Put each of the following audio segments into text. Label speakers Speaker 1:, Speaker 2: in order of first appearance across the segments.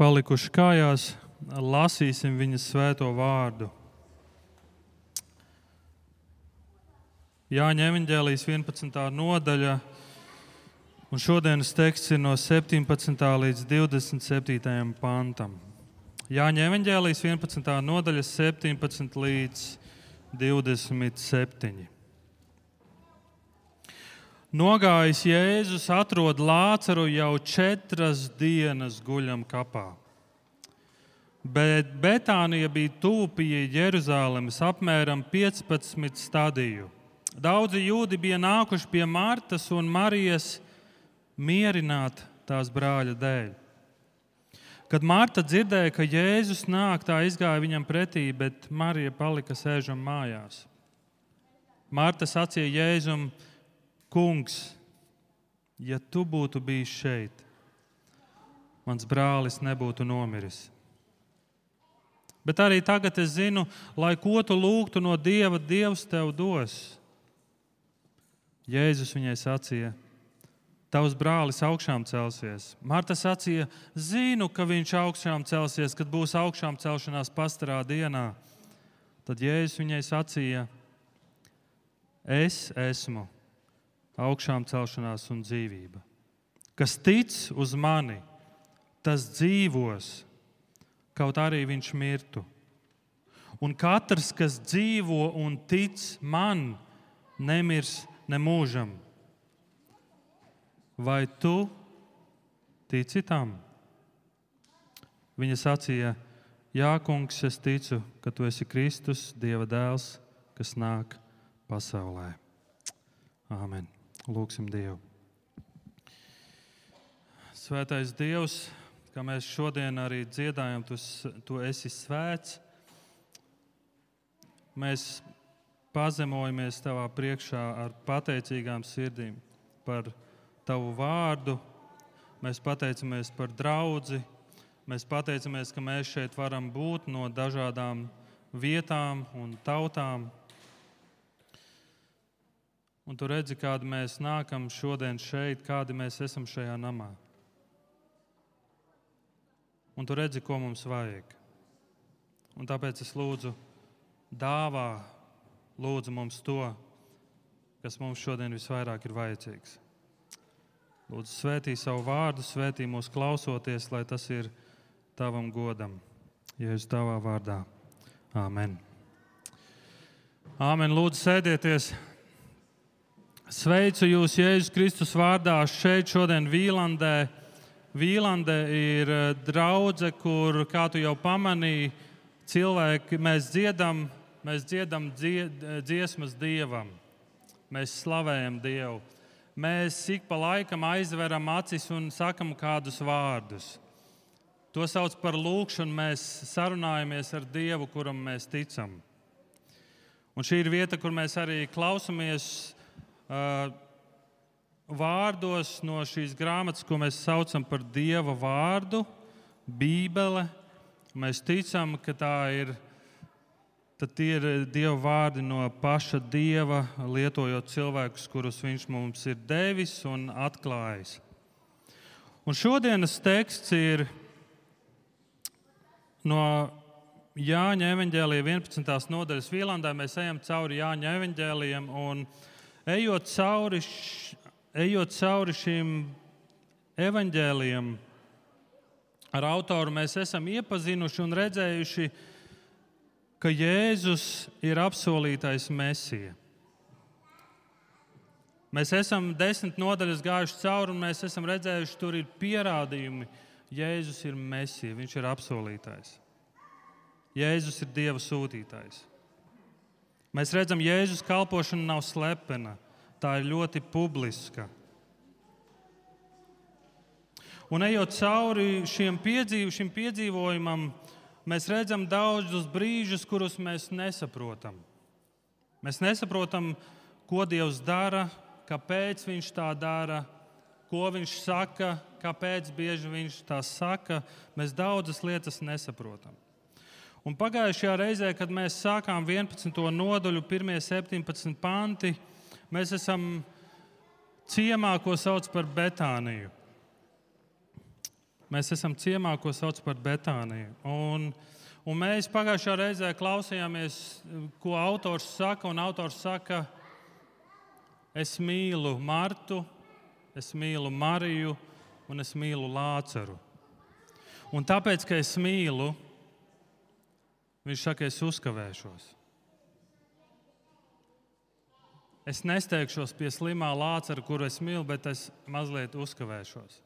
Speaker 1: palikuši kājās, lasīsim viņas svēto vārdu. Jāņa evaņģēlijas 11. nodaļa, un šodienas teksts ir no 17. līdz 27. pantam. Jāņa evaņģēlijas 11. nodaļa 17 līdz 27. Nogājis Jēzus atrod Lācaru jau 4 dienas guļam kapā. Bet Betānija bija tuvu pie Jeruzalemes, apmēram 15 stadiju. Daudzi jūdi bija nākuši pie Martas un Marijas mierināt tās brāļa dēļ. Kad Marta dzirdēja, ka Jēzus nāk, tā izgāja viņam pretī, bet Marija palika sēžam mājās. Marta sacīja Jēzum: Kungs, ja tu būtu bijis šeit, mans brālis nebūtu nomiris. Bet arī tagad es zinu, lai ko tu lūgtu no Dieva, Dievs tev dos. Jēzus viņai sacīja: Tavs brālis augšām celsies. Marta sacīja: Zinu, ka viņš augšām celsies, kad būs augšām celšanās pastarā dienā. Tad Jēzus viņai sacīja: Es esmu augšām celšanās un dzīvība. Kas tic uz mani, tas dzīvos, kaut arī viņš mirtu. Un katrs, kas dzīvo un tic man, nemirs nemūžam. Vai tu tici tam? Viņa sacīja: Jā, kungs, es ticu, ka tu esi Kristus, Dieva dēls, kas nāk pasaulē. Āmen. Lūksim Dievu. Svētais Dievs, kā mēs šodien arī dziedājam, tu esi svēts. Mēs pazemojamies tavā priekšā ar pateicīgām sirdīm par tavu vārdu. Mēs pateicamies par draudzi. Mēs pateicamies, ka mēs šeit varam būt no dažādām vietām un tautām. Un tu redzi, kādi mēs nākam šodien šeit, kādi mēs esam šajā namā. Un tu redzi, ko mums vajag. Un tāpēc es lūdzu, lūdzu mums to, kas mums šodien visvairāk ir vajadzīgs. Lūdzu, svētī savu vārdu, svētī mūs klausoties, lai tas ir tavam godam. Jēzus tavā vārdā. Āmen. Āmen. Lūdzu, sēdieties. Sveicu jūs Jēzus Kristus vārdā šeit šodien Vīlandē. Vīlande ir draudze, kur, kā tu jau pamanīji, cilvēki, mēs dziedam dziesmas Dievam. Mēs slavējam Dievu. Mēs ik pa laikam aizveram acis un sakam kādus vārdus. To sauc par lūgšanu, mēs sarunājamies ar Dievu, kuram mēs ticam. Un šī ir vieta, kur mēs arī klausamies vārdos no šīs grāmatas, ko mēs saucam par Dieva vārdu, Bībele. Mēs ticam, ka tie ir Dieva vārdi no paša Dieva, lietojot cilvēkus, kurus viņš mums ir devis un atklājis. Un šodienas teksts ir no Jāņa evaņģēlija 11. nodaļas Vīlandē. Mēs ejam cauri Jāņa evaņģēlijam un ejot cauri šīm evaņģēlijam ar autoru, mēs esam iepazinuši un redzējuši, ka Jēzus ir apsolītais Mesija. Mēs esam 10 nodaļas gājuši cauri un mēs esam redzējuši, tur ir pierādījumi. Jēzus ir Mesija, viņš ir apsolītais. Jēzus ir Dieva sūtītājs. Mēs redzam, Jēzus kalpošana nav slepena, tā ir ļoti publiska. Un ejot cauri šim piedzīvojumam, mēs redzam daudzus brīžus, kurus mēs nesaprotam. Mēs nesaprotam, ko Dievs dara, kāpēc viņš tā dara, ko viņš saka, kāpēc bieži viņš tā saka. Mēs daudzas lietas nesaprotam. Un pagājušajā reizē, kad mēs sākām 11. nodaļu, pirmie 17 panti, mēs esam ciemā, ko sauc par Betāniju. Mēs esam ciemā, ko sauc par Betāniju. Un mēs pagājušā reizē klausījāmies, ko autors saka. Un autors saka, es mīlu Martu, es mīlu Mariju un es mīlu Lāceru. Un tāpēc, ka es mīlu, viņš saka, es uzkavēšos. Es nesteigšos pie slimā Lācara, kuru es mīlu, bet es mazliet uzkavēšos.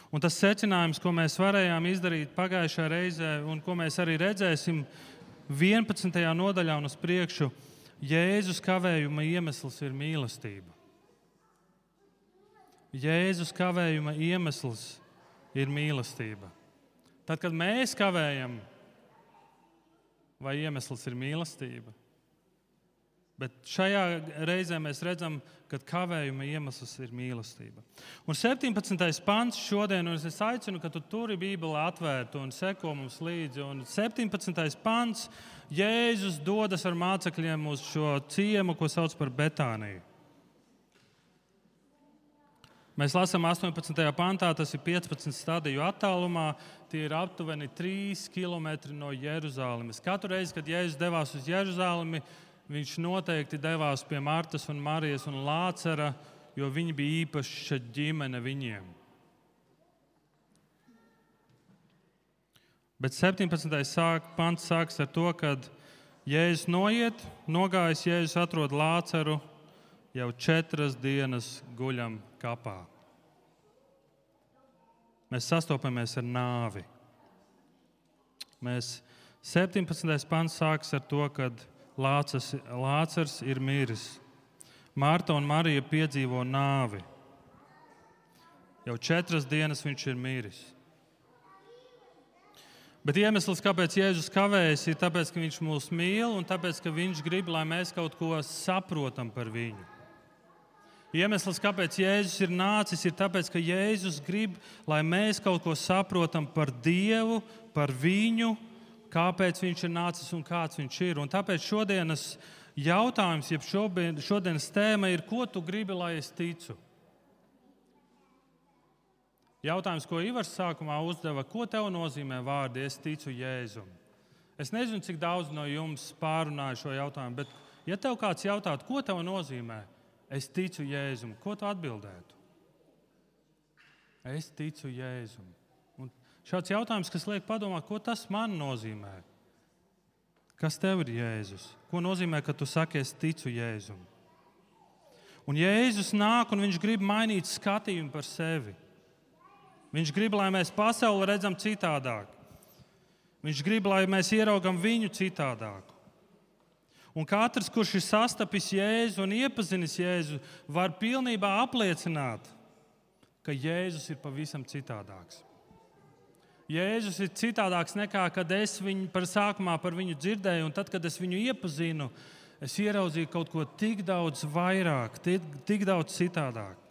Speaker 1: Un tas secinājums, ko mēs varējām izdarīt pagājušajā reizē, un ko mēs arī redzēsim 11. nodaļā un uz priekšu, Jēzus kavējuma iemesls ir mīlestība. Jēzus kavējuma iemesls ir mīlestība. Tad, kad mēs kavējam, vai iemesls ir mīlestība? Bet šajā reizē mēs redzam, ka kavējuma iemesls ir mīlestība. Un 17. pants šodien, un es aicinu, ka tu turi Bībeli atvērtu un seko mums līdzi. Un 17. pants, Jēzus dodas ar mācekļiem uz šo ciemu, ko sauc par Betāniju. Mēs lasām 18. pantā, tas ir 15 stadiju attālumā, tie ir aptuveni 3 kilometri no Jeruzalemes. Katru reizi, kad Jēzus devās uz Jeruzalemi, viņš noteikti devās pie Martas un Marijas un Lācara, jo viņi bija īpaša ģimene viņiem. Bet 17. pants sāks ar to, kad Jēzus nogājis, Jēzus atrod Lācaru, jau 4 dienas guļam kapā. Mēs sastopamies ar nāvi. 17. pants sāks ar to, kad Lācars ir miris. Marta un Marija piedzīvo nāvi. Jau 4 dienas viņš ir miris. Bet iemesls, kāpēc Jēzus kavējas, ir tāpēc, ka viņš mūs mīl un tāpēc, ka viņš grib, lai mēs kaut ko saprotam par viņu. Iemesls, kāpēc Jēzus ir nācis, ir tāpēc, ka Jēzus grib, lai mēs kaut ko saprotam par Dievu, par viņu, kāpēc viņš ir nācis un kāds viņš ir. Un tāpēc šodienas jautājums, jeb šodienas tēma ir, ko tu gribi, lai es ticu? Jautājums, ko Ivars sākumā uzdeva, ko tev nozīmē vārdi, es ticu Jēzum? Es nezinu, cik daudz no jums pārunāja šo jautājumu, bet ja tev kāds jautātu, ko tev nozīmē, es ticu Jēzum, ko tu atbildētu? Es ticu Jēzum. Un šāds jautājums, kas liek padomāt, ko tas man nozīmē? Kas tev ir Jēzus? Ko nozīmē, ka tu saki, es ticu Jēzum? Un Jēzus nāk un viņš grib mainīt skatījumu par sevi. Viņš grib, lai mēs pasauli redzam citādāk. Viņš grib, lai mēs ieraugam viņu citādāk. Un katrs, kurš ir sastapis Jēzu un iepazinis Jēzu, var pilnībā apliecināt, ka Jēzus ir pavisam citādāks. Jēzus ir citādāks nekā, kad es viņu sākumā par viņu dzirdēju, un tad, kad es viņu iepazinu, es ieraudzīju kaut ko tik daudz vairāk, tik daudz citādāk.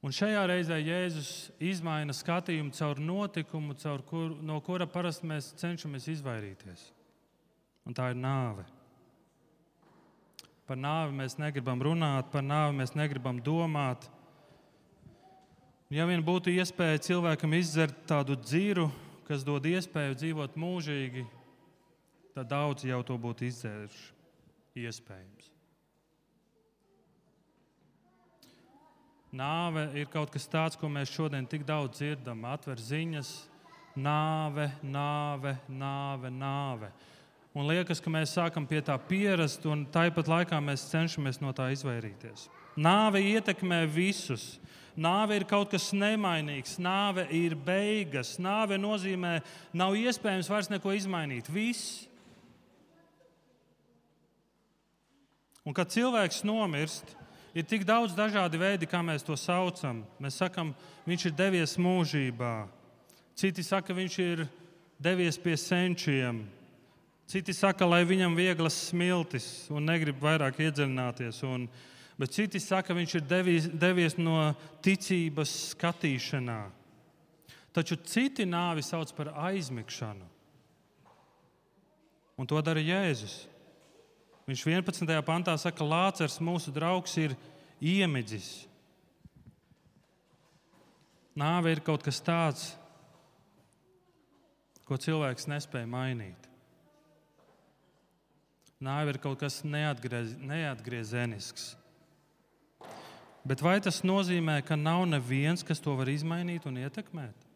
Speaker 1: Un šajā reizē Jēzus izmaina skatījumu caur notikumu, no kura parasti mēs cenšamies izvairīties. Un tā ir nāve. Par nāvi mēs negribam runāt, par nāvi mēs negribam domāt. Ja vien būtu iespēja cilvēkam izdzert tādu dziru, kas dod iespēju dzīvot mūžīgi, tad daudzi jau to būtu izdzēruši. Iespējams. Nāve ir kaut kas tāds, ko mēs šodien tik daudz dzirdam. Atver ziņas, nāve, nāve, nāve, nāve. Un liekas, ka mēs sākam pie tā pierast, un tāpat laikā mēs cenšamies no tā izvairīties. Nāve ietekmē visus. Nāve ir kaut kas nemainīgs. Nāve ir beigas. Nāve nozīmē, nav iespējams vairs neko izmainīt. Viss. Un kad cilvēks nomirst, ir tik daudz dažādi veidi, kā mēs to saucam. Mēs sakam, viņš ir devies mūžībā. Citi saka, viņš ir devies pie senčiem. Citi saka, lai viņam vieglas smiltis un negrib vairāk iedziļināties. Bet citi saka, viņš ir devies no ticības skatīšanā. Taču citi nāvi sauc par aizmigšanu. Un to dara Jēzus. Viņš 11. pantā saka, Lācars, mūsu draugs, ir iemidzis. Nāve ir kaut kas tāds, ko cilvēks nespēja mainīt. Nāve ir kaut kas neatgriezenisks. Bet vai tas nozīmē, ka nav neviens, kas to var izmainīt un ietekmēt?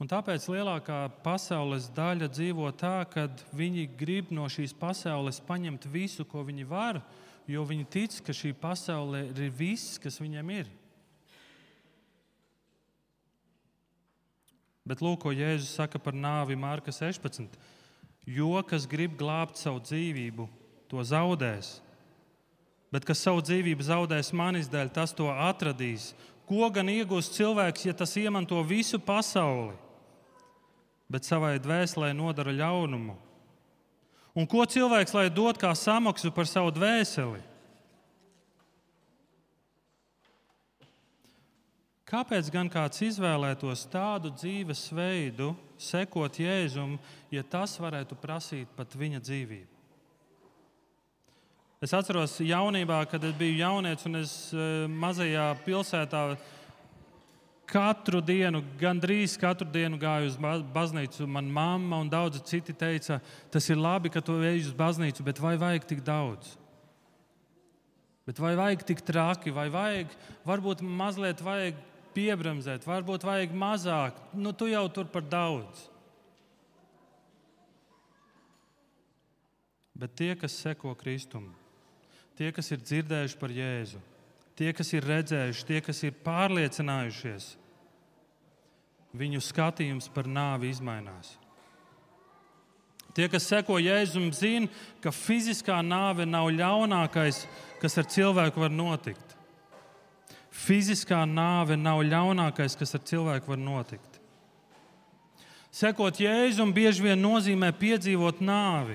Speaker 1: Un tāpēc lielākā pasaules daļa dzīvo tā, ka viņi grib no šīs pasaules paņemt visu, ko viņi var, jo viņi tic, ka šī pasaule ir viss, kas viņiem ir. Bet lūk, ko Jēzus saka par nāvi Marka 16. Jo, kas grib glābt savu dzīvību, to zaudēs. Bet kas savu dzīvību zaudēs manis dēļ, tas to atradīs. Ko gan iegūs cilvēks, ja tas iemanto visu pasauli, bet savai dvēselē nodara ļaunumu? Un ko cilvēks lai dod kā samaksu par savu dvēseli? Kāpēc gan kāds izvēlētos tādu dzīvesveidu, sekot Jēzum, ja tas varētu prasīt pat viņa dzīvību? Es atceros jaunībā, kad es biju jaunietis un es mazajā pilsētā gandrīz katru dienu gāju uz baznīcu. Man mamma un daudzi citi teica, tas ir labi, ka tu ej uz baznīcu, bet vai vajag tik daudz? Bet vai vajag tik traki, vai varbūt mazliet vajag piebremzēt, varbūt vajag mazāk, tu jau tur par daudz. Bet tie, kas seko Kristum, tie, kas ir dzirdējuši par Jēzu, tie, kas ir redzējuši, tie, kas ir pārliecinājušies, viņu skatījums par nāvi izmainās. Tie, kas seko Jēzum, zina, ka fiziskā nāve nav ļaunākais, kas ar cilvēku var notikt. Fiziskā nāve nav ļaunākais, kas ar cilvēku var notikt. Sekot Jēzum bieži vien nozīmē piedzīvot nāvi.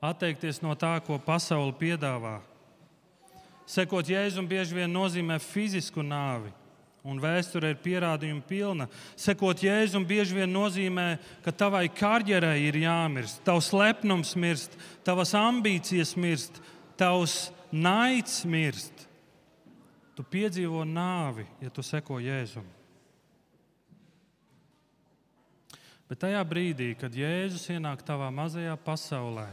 Speaker 1: Atteikties no tā, ko pasaule piedāvā. Sekot Jēzum bieži vien nozīmē fizisku nāvi, un vēsture ir pierādījuma pilna. Sekot Jēzum bieži vien nozīmē, ka tavai karjerai ir jāmirst, tavs lepnums mirst, tavas ambīcijas mirst, tavs naids mirst. Tu piedzīvo nāvi, ja tu seko Jēzum. Bet tajā brīdī, kad Jēzus ienāk tavā mazajā pasaulē,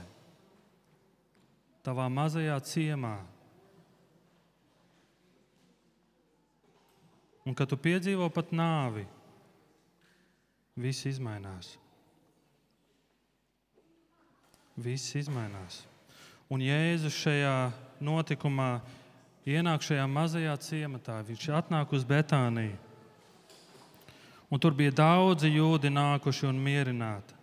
Speaker 1: tavā mazajā ciemā, un kad tu piedzīvo pat nāvi, viss izmainās. Viss izmainās. Un Jēzus šajā notikumā ienāk šajā mazajā ciematā. Viņš atnāk uz Betāniju. Un tur bija daudzi jūdi nākuši un mierināti.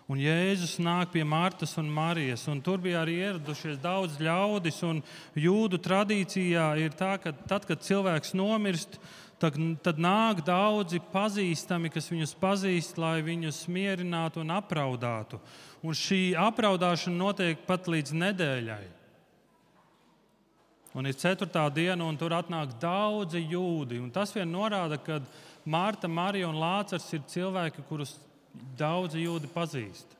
Speaker 1: Un Jēzus nāk pie Martas un Marijas, un tur bija arī ieradušies daudz ļaudis, un jūdu tradīcijā ir tā, ka tad, kad cilvēks nomirst, tad nāk daudzi pazīstami, kas viņus pazīst, lai viņus mierinātu un apraudātu. Un šī apraudāšana notiek pat līdz nedēļai. Un ir 4. diena, un tur atnāk daudzi jūdi. Un tas vien norāda, ka Marta, Marija un Lācars ir cilvēki, kurus daudzi jūdi pazīst.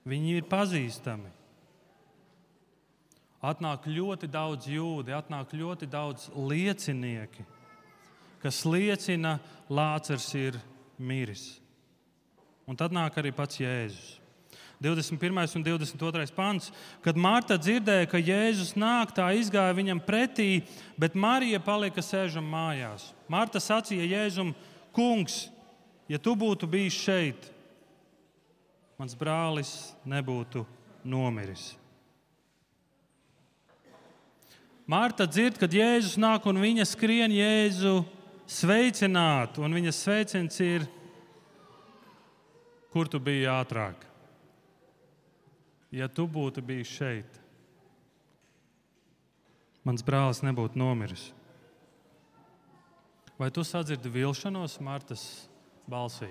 Speaker 1: Viņi ir pazīstami. Atnāk ļoti daudz jūdi, atnāk ļoti daudz liecinieki, kas liecina, Lācars ir miris. Un tad nāk arī pats Jēzus. 21. un 22. pants. Kad Marta dzirdēja, ka Jēzus nāk, tā izgāja viņam pretī, bet Marija palika sēžam mājās. Marta sacīja Jēzum: Kungs, ja tu būtu bijis šeit, mans brālis nebūtu nomiris. Marta dzird, kad Jēzus nāk, un viņa skrien Jēzu sveicināt, un viņas sveiciens ir: kur tu biji ātrāk? Ja tu būtu bijis šeit, mans brālis nebūtu nomiris. Vai tu sadzirdi vilšanos Martas balsī?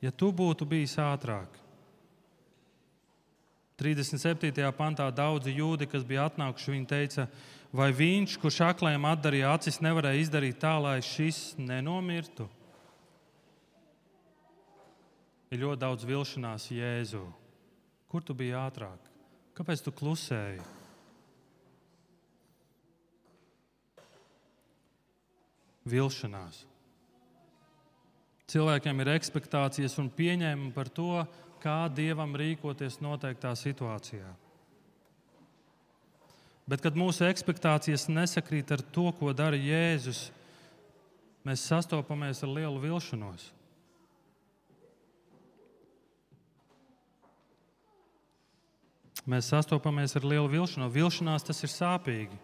Speaker 1: Ja tu būtu bijis ātrāk. 37. pantā daudzi jūdi, kas bija atnākuši, viņi teica: vai viņš, kurš aklajam atdarīja acis, nevarēja izdarīt tā, lai šis nenomirtu? Ir ļoti daudz vilšanās Jēzu. Kur tu biji ātrāk? Kāpēc tu klusēji? Vilšanās. Cilvēkiem ir ekspektācijas un pieņēmumi par to, kā Dievam rīkoties noteiktā situācijā. Bet, kad mūsu ekspektācijas nesakrīt ar to, ko dara Jēzus, mēs sastopamies ar lielu vilšanos. Mēs sastopamies ar lielu vilšanos. Vilšanās tas ir sāpīgi.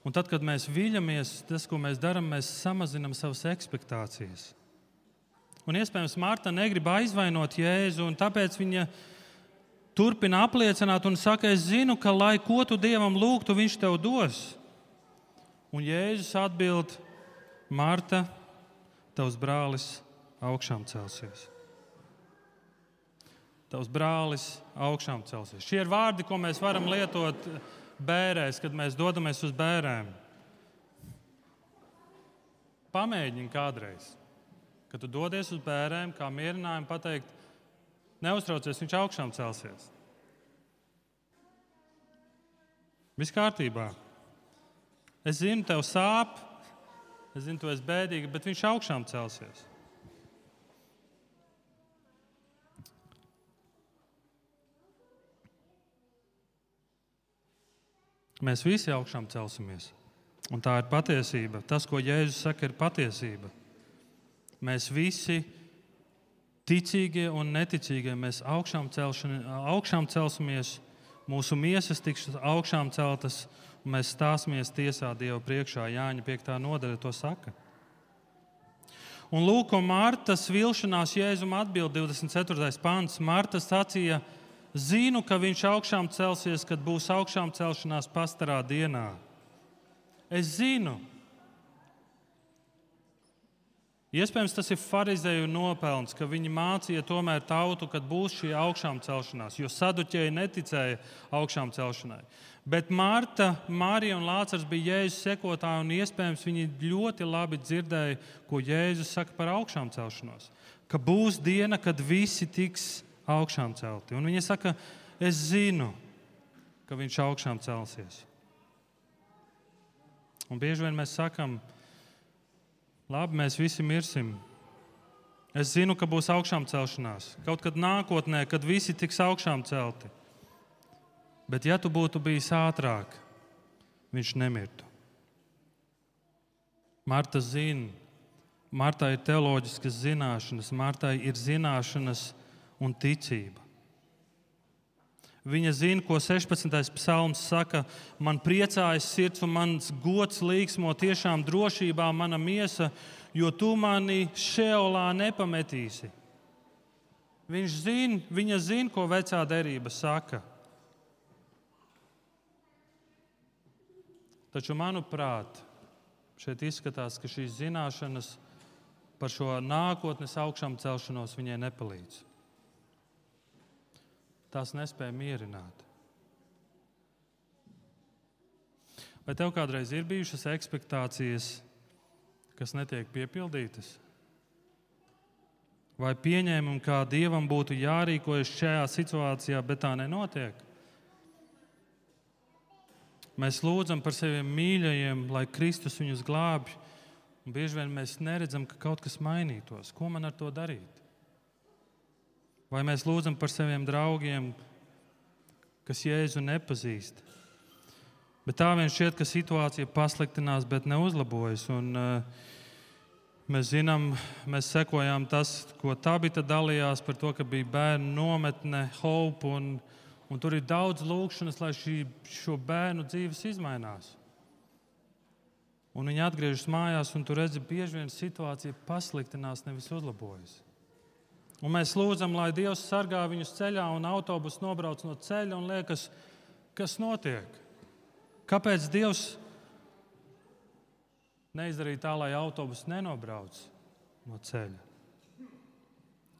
Speaker 1: Un tad, kad mēs viļamies, tas, ko mēs darām, mēs samazinām savas ekspektācijas. Un iespējams, Marta negrib aizvainot Jēzu, un tāpēc viņa turpina apliecināt un saka, es zinu, ka lai ko tu Dievam lūgtu, viņš tev dos. Un Jēzus atbild, Marta, tavs brālis augšām celsies. Tavs brālis augšām celsies. Šie ir vārdi, ko mēs varam lietot bērēs, kad mēs dodamies uz bērēm. Pamēģini kādreiz, kad tu dodies uz bērēm, kā mierinājumu pateikt, neuztraucies, viņš augšām celsies. Viss kārtībā. Es zinu, tev sāp, es zinu, tu esi bēdīga, bet viņš augšām celsies. Mēs visi augšām celsimies. Un tā ir patiesība. Tas, ko Jēzus saka, ir patiesība. Mēs visi, ticīgie un neticīgie, mēs augšām celsimies, mūsu miesas tiks augšām celtas, un mēs stāsimies tiesā Dieva priekšā. Jāņa 5. nodaļa to saka. Un lūk, ko Martas vilšanās Jēzum atbild 24. pants. Marta sacīja, zinu, ka viņš augšām celsies, kad būs augšām celšanās pastarā dienā. Es zinu. Iespējams, tas ir farizēju nopelns, ka viņi mācīja tomēr tautu, kad būs šī augšām celšanās, jo saduķēji neticēja augšām celšanai. Bet Marta, Marija un Lācars bija Jēzus sekotāji, un iespējams viņi ļoti labi dzirdēja, ko Jēzus saka par augšām celšanos. Ka būs diena, kad visi tiks augšām celti. Un viņa saka, es zinu, ka viņš augšām celsies. Un bieži vien mēs sakam, labi, mēs visi mirsim. Es zinu, ka būs augšām celšanās. Kaut kad nākotnē, kad visi tiks augšām celti. Bet ja tu būtu bijis ātrāk, viņš nemirtu. Marta zina. Martai ir teoloģiskas zināšanas. Martai ir zināšanas un ticība. Viņa zina, ko 16. psalms saka, man priecājas sirds un mans gods līksmo tiešām drošībā mana miesa, jo tu mani šeolā nepametīsi. Viņa zina, ko vecā derība saka. Taču, manuprāt, šeit izskatās, ka šīs zināšanas par šo nākotnes augšām celšanos viņai nepalīdz. Tās nespēja mierināt. Vai tev kādreiz ir bijušas ekspektācijas, kas netiek piepildītas? Vai pieņēmumi, kā Dievam būtu jārīkojas šajā situācijā, bet tā nenotiek? Mēs lūdzam par saviem mīļajiem, lai Kristus viņus glābj, un bieži vien mēs neredzam, ka kaut kas mainītos. Ko man ar to darīt? Vai mēs lūdzam par saviem draugiem, kas Jēzu nepazīst? Bet tā vien šķiet, ka situācija pasliktinās, bet neuzlabojas. Un, mēs zinām, mēs sekojām tas, ko Tabita dalījās par to, ka bija bērnu nometne, Hope, un tur ir daudz lūgšanas, lai šo bērnu dzīves izmainās. Un viņi atgriežas mājās, un tu redzi, bieži vien situācija pasliktinās, nevis uzlabojas. Un mēs lūdzam, lai Dievs sargā viņus ceļā, un autobus nobrauc no ceļa, un liekas, kas notiek? Kāpēc Dievs neizdarīja tā, lai autobus nenobrauc no ceļa?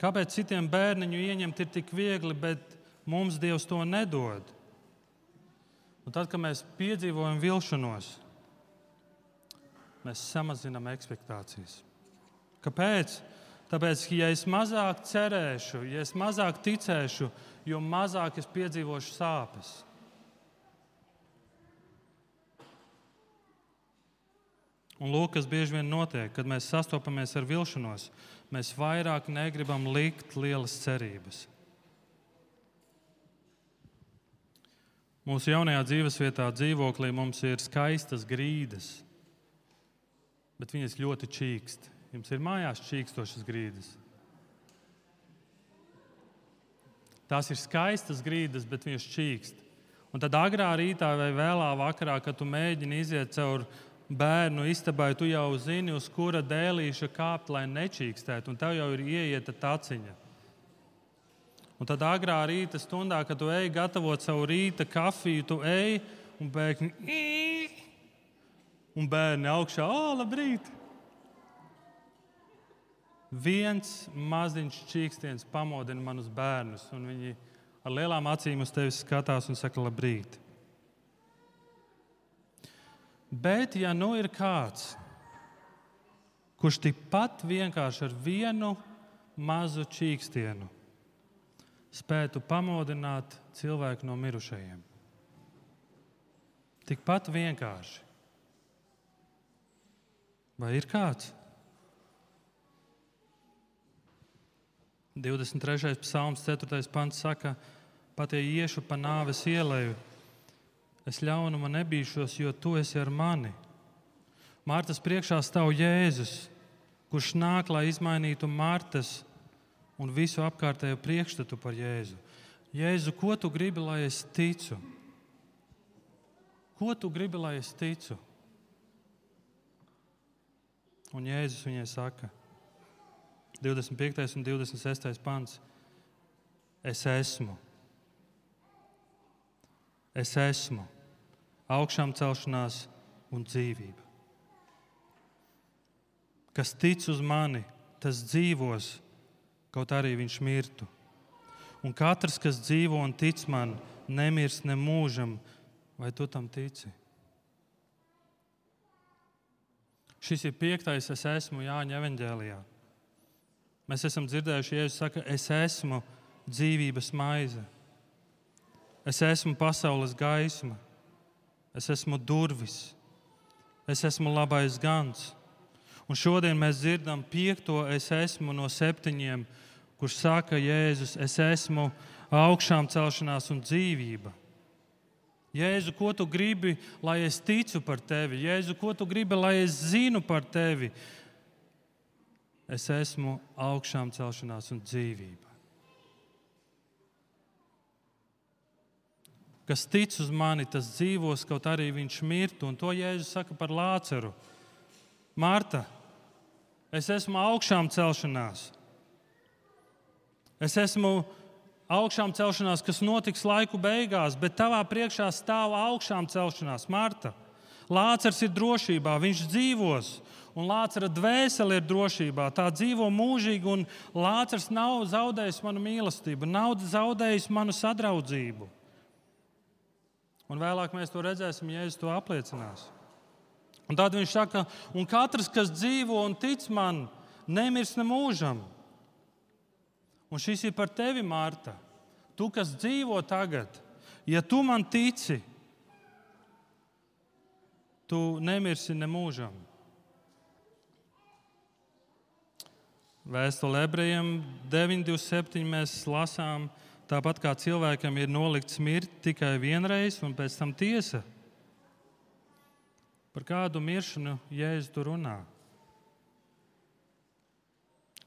Speaker 1: Kāpēc citiem bērniņu ieņemt ir tik viegli, bet mums Dievs to nedod? Un tad, kad mēs piedzīvojam vilšanos, mēs samazinām ekspektācijas. Kāpēc? Tāpēc, ja es mazāk cerēšu, ja es mazāk ticēšu, jo mazāk es piedzīvošu sāpes. Un lūk, kas bieži vien notiek, kad mēs sastopamies ar vilšanos, mēs vairāk negribam likt lielas cerības. Mūsu jaunajā dzīvesvietā, dzīvoklī mums ir skaistas grīdas, bet viņas ļoti čīkst. Jums ir mājās čīkstošas grīdas. Tās ir skaistas grīdas, bet viņas čīkst. Un tad agrā rītā vai vēlā vakarā, kad tu mēģini iziet caur bērnu istabai, tu jau zini, uz kura dēlīša kāpt, lai nečīkstētu, un tev jau ir ieieta taciņa. Un tad agrā rīta stundā, kad tu ej gatavot savu rīta kafiju, tu ej un pēkšņi un bērni augšā, labrīt! Viens maziņš čīkstiens pamodina manus bērnus, un viņi ar lielām acīm uz tevi skatās un saka labrīt. Bet, ja nu ir kāds, kurš tikpat vienkārši ar vienu mazu čīkstienu spētu pamodināt cilvēku no mirušajiem. Tikpat vienkārši. Vai ir kāds? 23. psalms, 4. pants saka, pat ja iešu pa nāves ieleju, es ļaunuma nebīšos, jo tu esi ar mani. Martas priekšā stāv Jēzus, kurš nāk, lai izmainītu Martas un visu apkārtējo priekšstatu par Jēzu. Jēzu, ko tu gribi, lai es ticu? Ko tu gribi, lai es ticu? Un Jēzus viņai saka, 25. un 26. pants, es esmu. Es esmu augšām celšanās un dzīvība. Kas tic uz mani, tas dzīvos, kaut arī viņš mirtu. Un katrs, kas dzīvo un tic man, nemirs ne mūžam. Vai tu tam tici? Šis ir 5. es esmu Jāņa evaņģēlijā. Mēs esam dzirdējuši, Jēzus saka, es esmu dzīvības maize. Es esmu pasaules gaisma, es esmu durvis, es esmu labais gans. Un šodien mēs dzirdam 5. es esmu no 7, kurš saka Jēzus, es esmu augšām celšanās un dzīvība. Jēzu, ko tu gribi, lai es ticu par tevi? Jēzu, ko tu gribi, lai es zinu par tevi? Es esmu augšām celšanās un dzīvība. Kas tic uz mani, tas dzīvos, kaut arī viņš mirtu. Un to Jēzus saka par Lāceru. Marta, es esmu augšām celšanās. Es esmu augšām celšanās, kas notiks laiku beigās, bet tavā priekšā stāv augšām celšanās. Marta, Lācers ir drošībā, viņš dzīvos, un Lācera dvēsele ir drošībā. Tā dzīvo mūžīgi, un Lācers nav zaudējis manu mīlestību, nav zaudējis manu sadraudzību. Un vēlāk mēs to redzēsim, Jēzus to apliecinās. Un tad viņš saka, un katrs, kas dzīvo un tic man, nemirs ne mūžam. Un šis ir par tevi, Marta. Tu, kas dzīvo tagad, ja tu man tici, tu nemirsi ne mūžam. Vēstule Ebrejiem 9:27 mēs lasām, tāpat kā cilvēkam ir nolikts mirt tikai vienreiz un pēc tam tiesa. Par kādu miršanu Jēzus tur runā?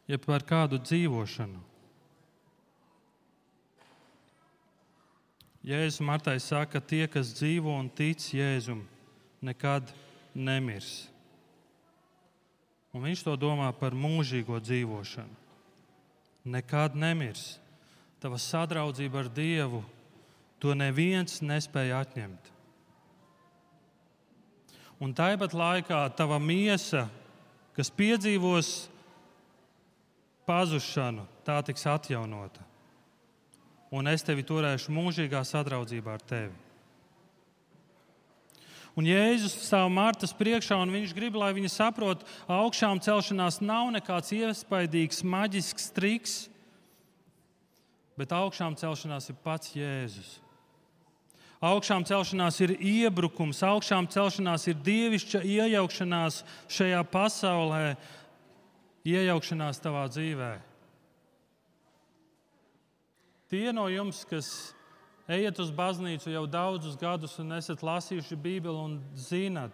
Speaker 1: Ja par kādu dzīvošanu? Jēzus Martai saka, tie, kas dzīvo un tic Jēzum, nekad nemirs. Un viņš to domā par mūžīgo dzīvošanu. Nekad nemirs. Tava sadraudzība ar Dievu, to neviens nespēja atņemt. Un tāpat laikā tava miesa, kas piedzīvos pazušanu, tā tiks atjaunota. Un es tevi turēšu mūžīgā sadraudzībā ar tevi. Un Jēzus stāv Martas priekšā, un viņš grib, lai viņa saprot, augšām celšanās nav nekāds iespaidīgs, maģisks triks. Bet augšām celšanās ir pats Jēzus. Augšām celšanās ir iebrukums, augšām celšanās ir dievišķa iejaukšanās šajā pasaulē, iejaukšanās tavā dzīvē. Tie no jums, kas ejat uz baznīcu jau daudzus gadus un esat lasījuši Bībeli un zinat,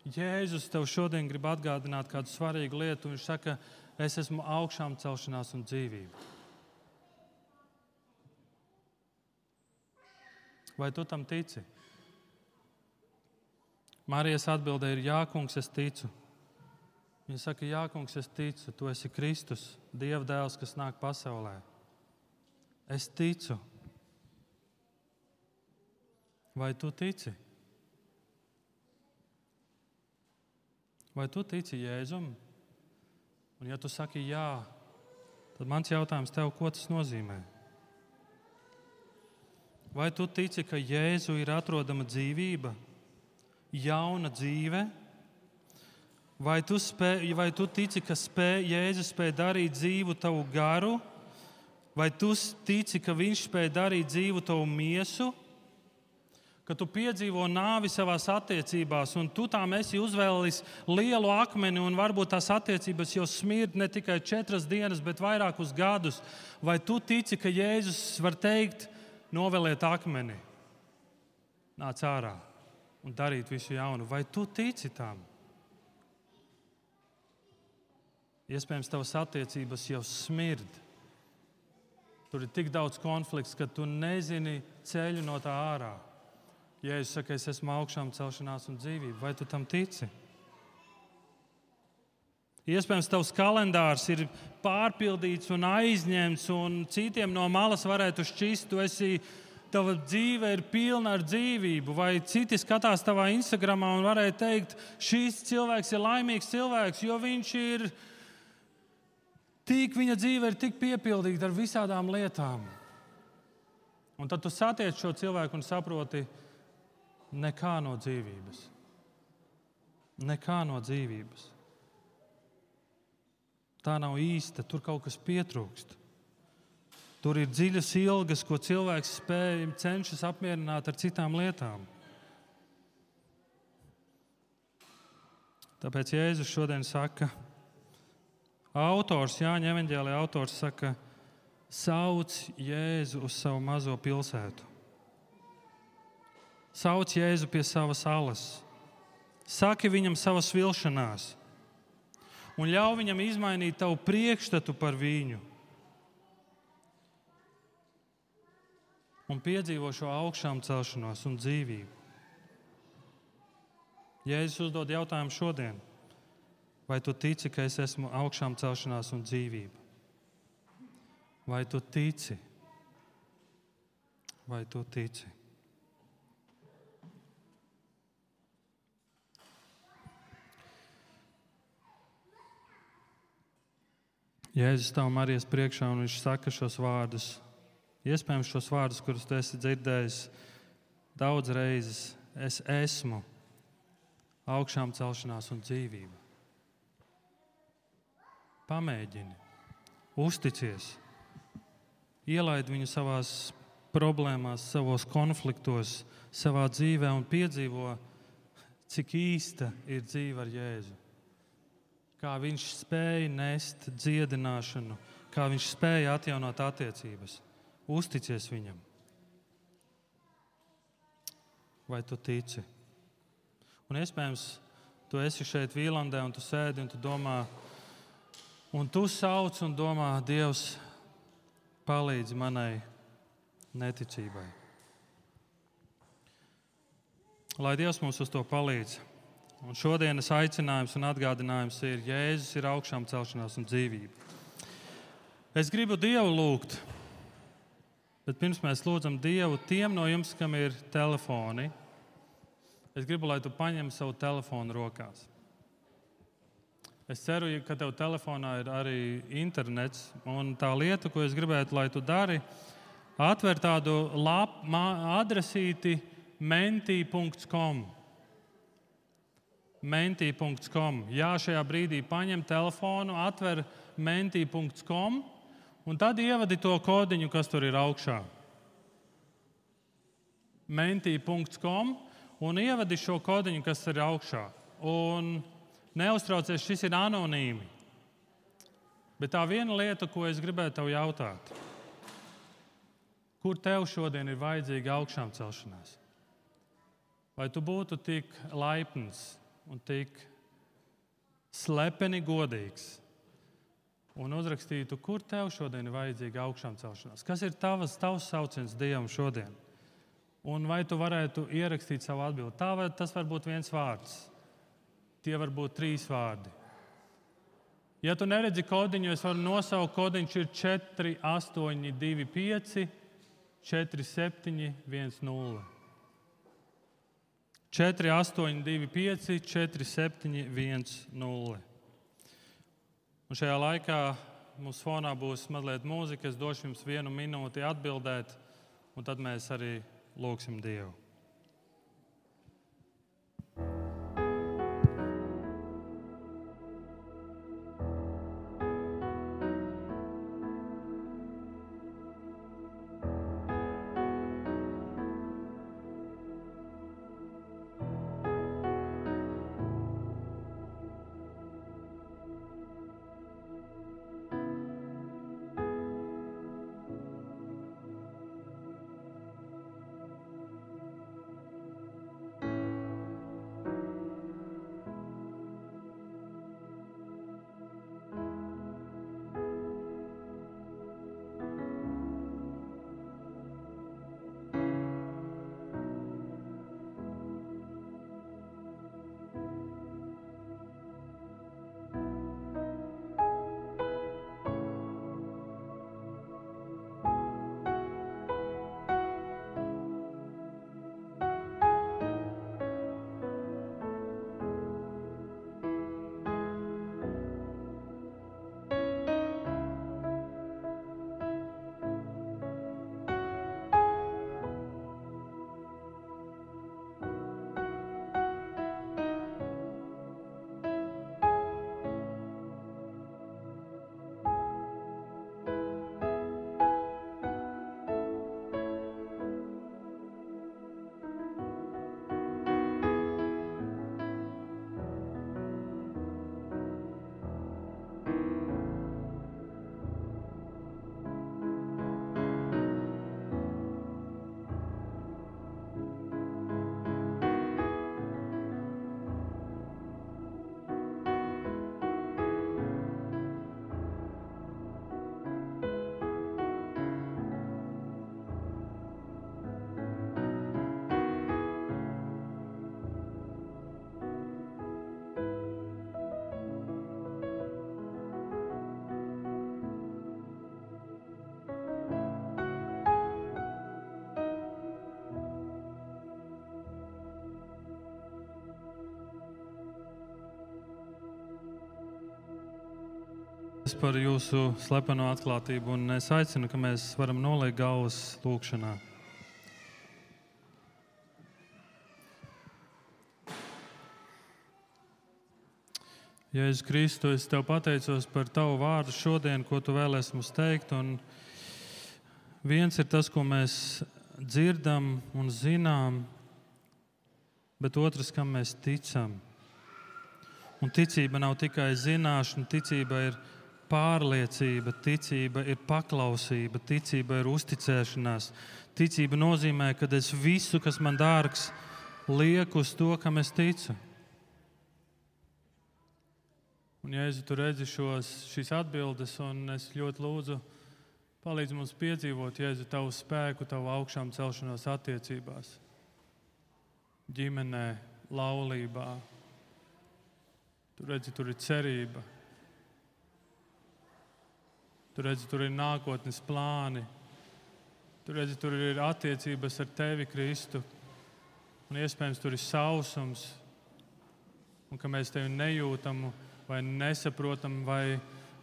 Speaker 1: Jēzus tev šodien grib atgādināt kādu svarīgu lietu. Viņš saka, es esmu augšām celšanās un dzīvība. Vai tu tam tici? Marijas atbilde ir, jā, kungs, es ticu. Viņa saka, jā, kungs, es ticu, tu esi Kristus, Dieva dēls, kas nāk pasaulē. Es ticu. Vai tu tici? Vai tu tici Jēzum? Un ja tu saki jā, tad mans jautājums tev, ko tas nozīmē? Vai tu tici, ka Jēzu ir atrodama dzīvība, jauna dzīve? Vai tu tici, ka Jēzus spēj darīt dzīvu tavu garu? Vai tu tici, ka viņš spēj darīt dzīvu tavu miesu? Ka tu piedzīvo nāvi savās attiecībās, un tu tām esi uzvēlis lielu akmeni, un varbūt tās attiecības jau smird ne tikai 4 dienas, bet vairākus gadus. Vai tu tici, ka Jēzus var teikt, noveliet akmeni, nāc ārā un darīt visu jaunu? Vai tu tici tam? Iespējams, tavas attiecības jau smird. Tur ir tik daudz konflikts, ka tu nezini ceļu no tā ārā. Jēzus saka, es esmu augšām celšanās un dzīvība. Vai tu tam tici? Iespējams, tavs kalendārs ir pārpildīts un aizņemts, un citiem no malas varētu šķist, tava dzīve ir pilna ar dzīvību. Vai citi skatās tavā Instagramā un varētu teikt, šis cilvēks ir laimīgs cilvēks, jo viņa dzīve ir tik piepildīta ar visādām lietām. Un tad tu satiec šo cilvēku un saproti, nekā no dzīvības. Nekā no dzīvības. Tā nav īsta, tur kaut kas pietrūkst. Tur ir dziļas ilgas, ko cilvēks cenšas apmierināt ar citām lietām. Tāpēc Jēzus šodien saka, Jāņa evaņģēlijā autors saka, sauc Jēzu uz savu mazo pilsētu. Sauc Jēzu pie savas alas. Saki viņam savas vilšanās. Un ļauj viņam izmainīt tavu priekšstatu par viņu. Un piedzīvo šo augšām celšanos un dzīvību. Jēzus uzdod jautājumu šodien. Vai tu tici, ka es esmu augšām celšanās un dzīvība? Vai tu tici? Vai tu tici? Jēzus stāv Marijas priekšā un viņš saka šos vārdus. Iespējams, šos vārdus, kurus tu esi dzirdējis daudz reizes. Es esmu augšām celšanās un dzīvība. Pamēģini, uzticies, ielaid viņu savās problēmās, savos konfliktos, savā dzīvē un piedzīvo, cik īsta ir dzīve ar Jēzu. Kā viņš spēja nest dziedināšanu, kā viņš spēja atjaunot attiecības. Uzticies viņam. Vai tu tici? Un iespējams, tu esi šeit Vīlandē un tu sēdi un tu domā, un tu sauc un domā, Dievs, palīdzi manai neticībai. Lai Dievs mums uz to palīdz. Un šodienas aicinājums un atgādinājums ir, Jēzus ir augšām celšanās un dzīvība. Es gribu Dievu lūgt, bet pirms mēs lūdzam Dievu tiem no jums, kam ir telefoni, es gribu, lai tu paņem savu telefonu rokās. Es ceru, ka tev telefonā ir arī internets, un tā lieta, ko es gribētu, lai tu dari, atver tādu adresīti mentī.com. Mentī.com. Jā, šajā brīdī paņem telefonu, atver mentī.com Un tad ievadi to kodiņu, kas tur ir augšā. Mentī.com un ievadi šo kodiņu, kas ir augšā. Un neuztraucies, šis ir anonīmi. Bet tā viena lieta, ko es gribētu tev jautāt. Kur tev šodien ir vajadzīga augšām celšanās? Vai tu būtu tik laipns un tik slepeni godīgs un uzrakstītu, kur tev šodien ir vajadzīga augšām celšanās? Kas ir tavs sauciens Dievam šodien? Un vai tu varētu ierakstīt savu atbildi? Tas var būt viens vārds. Tie var būt 3 vārdi. Ja tu neredzi kodiņu, es varu nosaukt, kodiņš ir 4825 4710. 4825 4710. Un šajā laikā mums fonā būs mazliet mūzika. Es došu jums 1 minūti atbildēt, un tad mēs arī lūgsim Dievu. Par jūsu slepeno atklātību, un es aicinu, ka mēs varam noliekt galvas lūgšanā. Jēzus Kristu, es tev pateicos par tavu vārdu šodien, ko tu vēlēsi mums teikt. Un viens ir tas, ko mēs dzirdam un zinām, bet otrs, kam mēs ticam. Un ticība nav tikai zināšana, ticība ir pārliecība, ticība ir paklausība, ticība ir uzticēšanās. Ticība nozīmē, ka es visu, kas man dārgs, lieku uz to, kam es ticu. Un, Jēzu, tu redzi šīs atbildes, un es ļoti lūdzu, palīdz mums piedzīvot, Jēzu, tavu spēku, tavu augšām celšanos attiecībās, ģimenē, laulībā. Tu redzi, tur ir cerība. Tu redzi, tur ir nākotnes plāni. Tu redzi, tur ir attiecības ar tevi, Kristu. Un iespējams, tur ir sausums. Un ka mēs tevi nejūtam vai nesaprotam, vai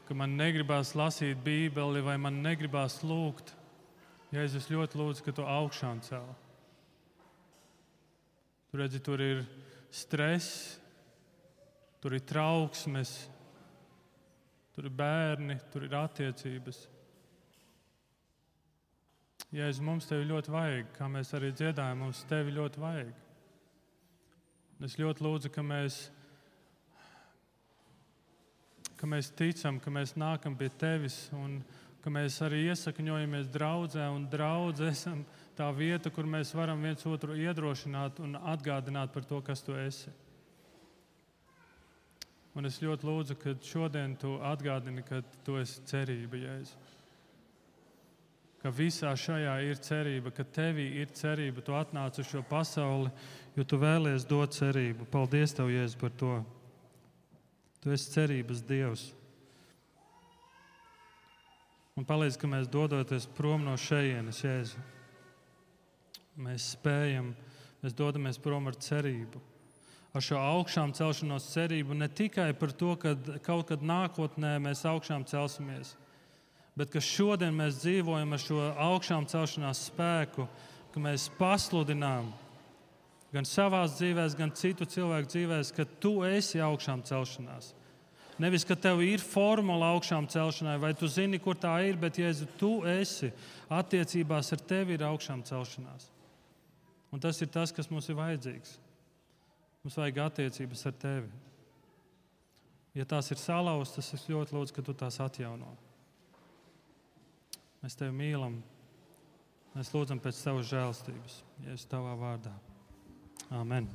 Speaker 1: ka man negribās lasīt Bībeli, vai man negribās lūgt. Jēzus, ļoti lūdzu, ka tu augšām cel. Tu redzi, tur ir stress, tur ir trauksmes, tur ir bērni, tur ir attiecības. Jēzu, mums tevi ļoti vajag, kā mēs arī dziedājam, mums tevi ļoti vajag. Es ļoti lūdzu, ka mēs ticam, ka mēs nākam pie tevis un ka mēs arī iesakņojamies draudzē, un draudze esam tā vieta, kur mēs varam viens otru iedrošināt un atgādināt par to, kas tu esi. Un es ļoti lūdzu, ka šodien tu atgādini, ka tu esi cerība, Jēzu. Ka visā šajā ir cerība, ka tevī ir cerība. Tu atnāc uz šo pasauli, jo tu vēlies dot cerību. Paldies tev, Jēzu, par to. Tu esi cerības Dievs. Un palīdz, ka mēs dodoties prom no šejienes, Jēzu. Mēs dodamies prom ar cerību. Ar šo augšām celšanos cerību ne tikai par to, ka kaut kad nākotnē mēs augšām celsimies, bet ka šodien mēs dzīvojam ar šo augšām celšanās spēku, ka mēs pasludinām gan savās dzīvēs, gan citu cilvēku dzīvēs, ka tu esi augšām celšanās. Nevis, ka tev ir formula augšām celšanai, vai tu zini, kur tā ir, bet, Jēzu, tu esi, attiecībās ar tevi ir augšām celšanās. Un tas ir tas, kas mums ir vajadzīgs. Mums vajag attiecības ar tevi. Ja tās ir salauztas, es ļoti lūdzu, ka tu tās atjauno. Mēs tevi mīlam. Mēs lūdzam pēc tavas žēlstības, Jēzus, tavā vārdā. Āmen.